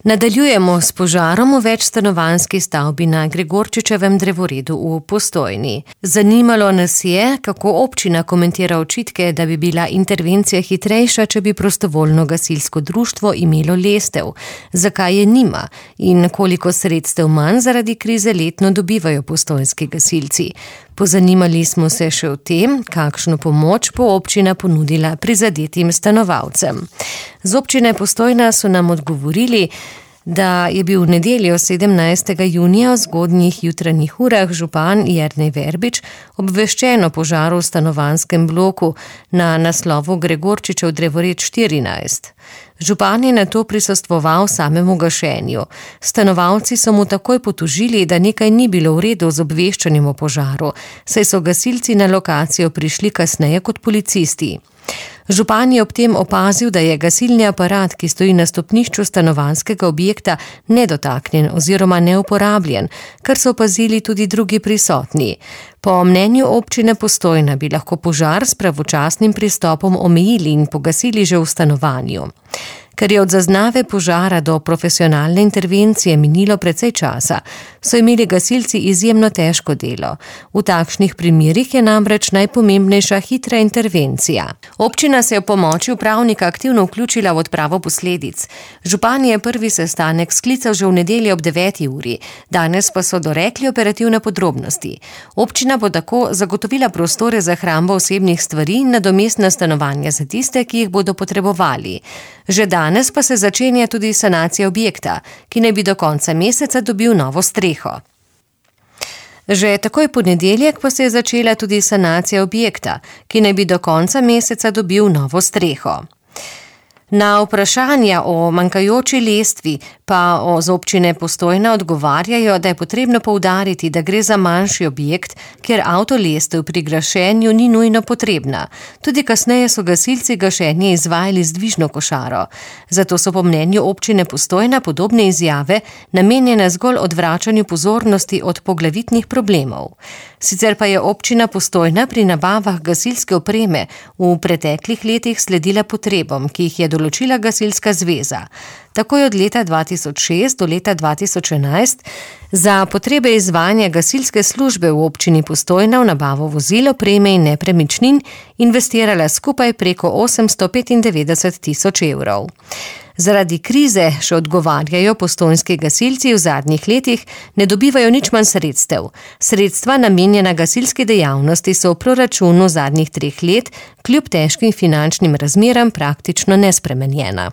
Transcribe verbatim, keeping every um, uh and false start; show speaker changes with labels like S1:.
S1: Nadaljujemo s požarom v večstanovanjski stavbi na Gregorčičevem drevoredu v Postojni. Zanimalo nas je, kako občina komentira očitke, da bi bila intervencija hitrejša, če bi prostovoljno gasilsko društvo imelo lestev, zakaj je nima in koliko sredstev manj zaradi krize letno dobivajo postojnski gasilci. Pozanimali smo se še o tem, kakšno pomoč bo občina ponudila prizadetim stanovalcem. Z občine Postojna so nam odgovorili, da je bil v nedeljo sedemnajstega junija v zgodnjih jutranjih urah župan Jernej Verbič obveščen o požaru v stanovanjskem bloku na naslovu Gregorčičev drevored štirinajst. Župan je nato prisostvoval samemu gašenju. Stanovalci so mu takoj potožili, da nekaj ni bilo v redu z obveščanjem o požaru, saj so gasilci na lokacijo prišli kasneje kot policisti. Župan je ob tem opazil, da je gasilni aparat, ki stoji na stopnišču stanovanjskega objekta, nedotaknjen oziroma neuporabljen, kar so opazili tudi drugi prisotni. Po mnenju občine Postojna bi lahko požar s pravočasnim pristopom omejili in pogasili že v stanovanju. Ker je od zaznave požara do profesionalne intervencije minilo precej časa, so imeli gasilci izjemno težko delo. V takšnih primerih je namreč najpomembnejša hitra intervencija. Občina se je v pomoči upravnika aktivno vključila v odpravo posledic. Župan je prvi sestanek sklical že v nedeljo ob deveti uri, danes pa so dorekli operativne podrobnosti. Občina bo tako zagotovila prostore za hrambo osebnih stvari in nadomestna stanovanja za tiste, ki jih bodo potrebovali. Že danes pa se začenja tudi sanacija objekta, ki naj bi do konca meseca dobil novo streho. Že takoj ponedeljek pa se je začela tudi sanacija objekta, ki naj bi do konca meseca dobil novo streho. Na vprašanja o manjkajoči lestvi pa z občine Postojna odgovarjajo, da je potrebno poudariti, da gre za manjši objekt, kjer avtolestev pri gašenju ni nujno potrebna. Tudi kasneje so gasilci gašenje izvajali z dvižno košaro. Zato so po mnenju občine Postojna podobne izjave namenjene zgolj odvračanju pozornosti od poglavitnih problemov. Sicer pa je občina Postojna pri nabavah gasilske opreme v preteklih letih sledila potrebam, ki jih je določila gasilska zveza. Tako je od leta dva tisoč šest do leta dva tisoč enajst za potrebe izvajanja gasilske službe v občini Postojna v nabavo vozil, opreme in nepremičnin investirala skupaj preko osemsto petindevetdeset tisoč evrov. Zaradi krize, še odgovarjajo postojnski gasilci, v zadnjih letih ne dobivajo nič manj sredstev. Sredstva namenjena gasilski dejavnosti so v proračunu zadnjih treh let kljub težkim finančnim razmeram praktično nespremenjena.